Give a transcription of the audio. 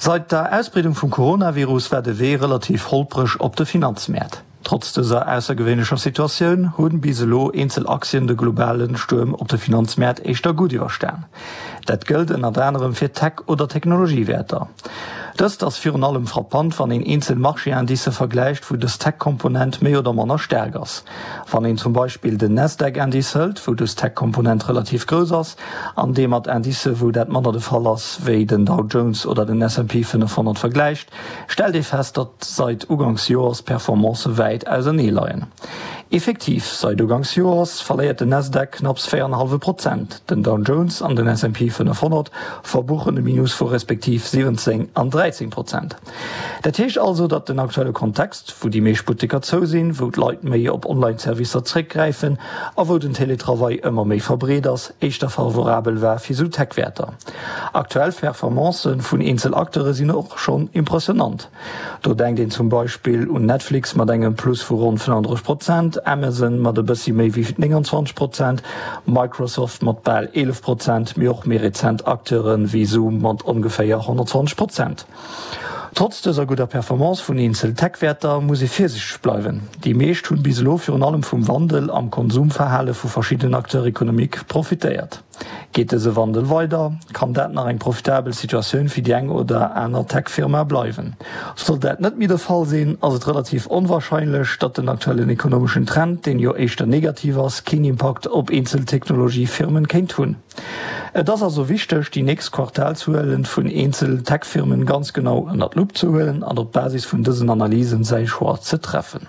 Seit der Ausbreedung vum Coronavirus war de Wee relativ holpreg op de Finanzmäert. Trotz dëser aussergewéinlecher Situatioun hunn bis elo eenzel Aktien de globale Stuerm op de Finanzmäert éischter gutt iwwerstan. Dat gëllt ënnert anerem fir Tech oder Technologiewäerter. Dëst ass virun allem frappant, wann een eenzel Marché-Indicë vergläicht, wou dës Tech-Komponent méi oder manner staark ass. Wann een zum Beispill den Nasdaq-Indice hëlt, wou dës Tech-Komponent relativ grouss ass, an dee mat Indicë wou dat manner de Fall ass, wéi den Dow Jones oder den S&P 500 vergläicht, stellt ee fest, datt sait Uganks Joers d'Performancë wäit ausernee leien. Effektiv, sait Uganks Joers verléiert den Nasdaq knapps 4,5 Prozent, den Dow Jones an den S&P 500 verbuchen e Minus vu respektiv 17 an 13 Prozent. Dat heescht also, datt den aktuelle Kontext, wou déi meescht Butteker zou sinn, wou d'Leit méi op Online-Servicer zréckgräifen a wou den Teletravail ëmmer méi verbreet ass, éischter favorabel war fir sou Tech-Wäerter. Aktuell Performancë vun eenzel Acteure sinn och schonn impressionant. Do denkt een zum Beispill un Netflix mat engem Plus vu ronn 35 Prozent, Amazon mat e bëssi méi wéi 29 Prozent, Microsoft mat bal 11 Prozent, mee och méi rezent Acteure wéi Zoom mat ongeféier 120 Prozent. Trotz dëser gudder Performance vun eenzel Tech-Wäerter muss ee virsiichteg bleiwen. Déi meescht hunn bis elo virun allem vum Wandel am Konsumverhale vu verschiddenen Acteurs économiques profitéiert. Geet dëse Wandel weider, kann dat nach eng profitabel Situatioun fir déi eng oder aner Tech-Firma bleiwen. Sollt dat net méi de Fall sinn, ass et relativ onwarscheinlech, datt den aktuellen ekonomeschen Trend, deen jo éischter negativ ass, keen Impakt op eenzel Technologie-Firmen kéint hunn. Et ass also wichteg, déi nächst Quartalszuelen vun eenzel Tech-Firmen ganz genau ënnert d'Lupp ze huelen an op Basis vun dësen Analysen säi Choix ze treffen.